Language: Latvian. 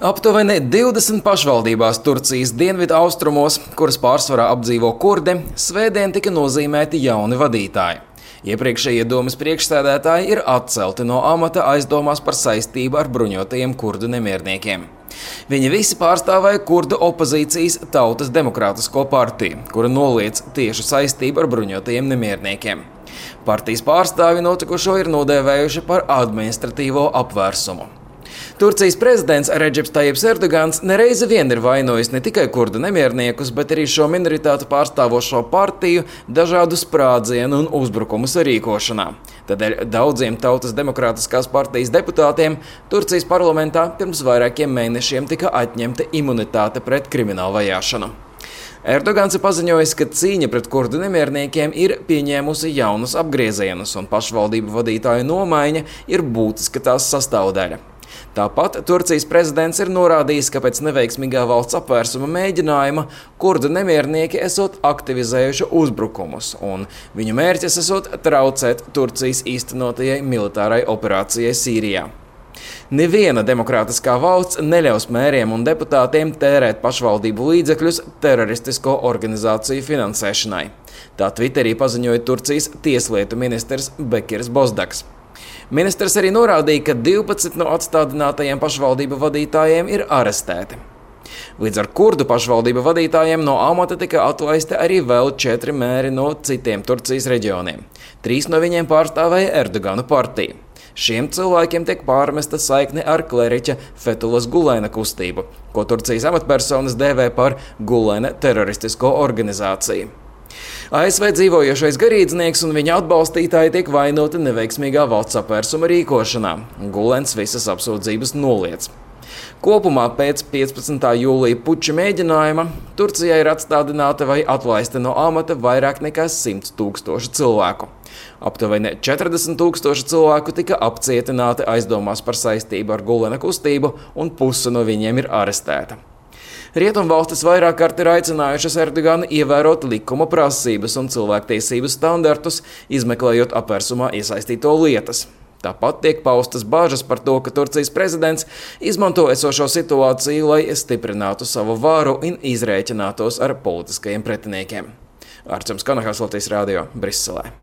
Aptuveni 20 pašvaldībās Turcijas dienvidu austrumos, kuras pārsvarā apdzīvo kurdi, svētdien tika nozīmēti jauni vadītāji. Iepriekšējie domes priekšsēdētāji ir atcelti no amata aizdomās par saistību ar bruņotajiem kurdu nemierniekiem. Viņi visi pārstāvēja kurdu opozīcijas Tautas demokrātisko partiju, kura noliedz tiešu saistību ar bruņotajiem nemierniekiem. Partijas pārstāvi notikušo ir nodēvējuši par administratīvo apvērsumu. Turcijas prezidents Redžeps Tajips Erdogans nereizi vien ir vainojis ne tikai kurdu nemierniekus, bet arī šo minoritātu pārstāvošo partiju dažādu sprādzienu un uzbrukumu sarīkošanā. Tādēļ daudziem Tautas demokrātiskās partijas deputātiem Turcijas parlamentā pirms vairākiem mēnešiem tika atņemta imunitāte pret kriminālu vajāšanu. Erdogans ir paziņojis, ka cīņa pret kurdu nemierniekiem ir pieņēmusi jaunus apgriezienus, un pašvaldību vadītāju nomaiņa ir būtiska tās sastāvdaļa. Tāpat Turcijas prezidents ir norādījis, ka pēc neveiksmīgā valsts apvērsuma mēģinājuma kurdu nemiernieki esot aktivizējuši uzbrukumus, un viņu mērķis esot traucēt Turcijas īstenotajai militārai operācijai Sīrijā. Neviena demokrātiskā valsts neļaus mēriem un deputātiem tērēt pašvaldību līdzekļus teroristisko organizāciju finansēšanai. Tā Twitterī paziņoja Turcijas tieslietu ministrs Bekirs Bozdaks. Ministrs arī norādīja, ka 12 no atstādinātajiem pašvaldību vadītājiem ir arestēti. Līdz ar kurdu pašvaldību vadītājiem no amata tika atlaisti arī vēl 4 mēri no citiem Turcijas reģioniem. 3 no viņiem pārstāvēja Erdogana partiju. Šiem cilvēkiem tiek pārmesta saikne ar kleriķa Fethulas Gulena kustību, ko Turcijas amatpersonas dēvē par Gulena teroristisko organizāciju. ASV dzīvojošais garīdznieks un viņa atbalstītāji tiek vainoti neveiksmīgā valsts apvērsuma rīkošanā. Gulens visas apsūdzības noliedz. Kopumā pēc 15. jūlija puča mēģinājuma Turcijai ir atstādināta vai atlaista no amata vairāk nekā 100 000 cilvēku. Aptuveni 40 000 cilvēku tika apcietināti aizdomās par saistību ar Gulena kustību, un puse no viņiem ir arestēta. Rietumvalstis vairāk kārt ir aicinājušas Erdoganu ievērot likuma prasības un cilvēktiesību standartus, izmeklējot apvērsumā iesaistīto lietas. Tāpat tiek paustas bāžas par to, ka Turcijas prezidents izmanto esošo situāciju, lai stiprinātu savu varu un izrēķinātos ar politiskajiem pretiniekiem. Arčuns Kanahas, Latvijas radio, Briselē.